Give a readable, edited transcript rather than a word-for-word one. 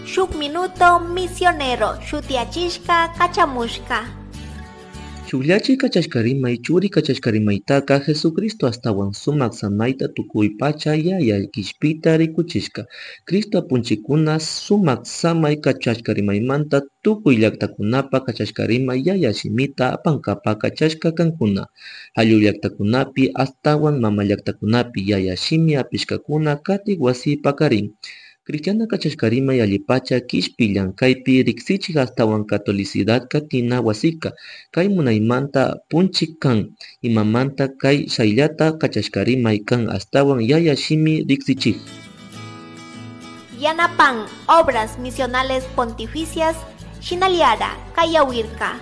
Shuk Minuto Misionero shutiyachishka kachamushka. Shukllachi kachashkarimay churi kachashkarimaytaka Jesucristo astawan sumak samayta tukuy pacha yaya kishpita rikuchishka. Cristo apunchikuna sumak samay kachashkarimaymanta tukuy llaktakunapa kachashkarimay yaya shimita apankapa kachashka kankuna. Ayllu llaktakunapi astawan mama llaktakunapi yaya shimi apishkakuna katik wasi pakarin. Cristiana kachashkarimay allipacha kishpi llankaypi riksichik astawan catolicidad katina wasika kay munaymanta punchik kan imamanta kay shayllata kachashkarimay kan astawan yaya shimi riksichik. Yanapan Obras Misionales Pontificias Shinaliara Kayawirka.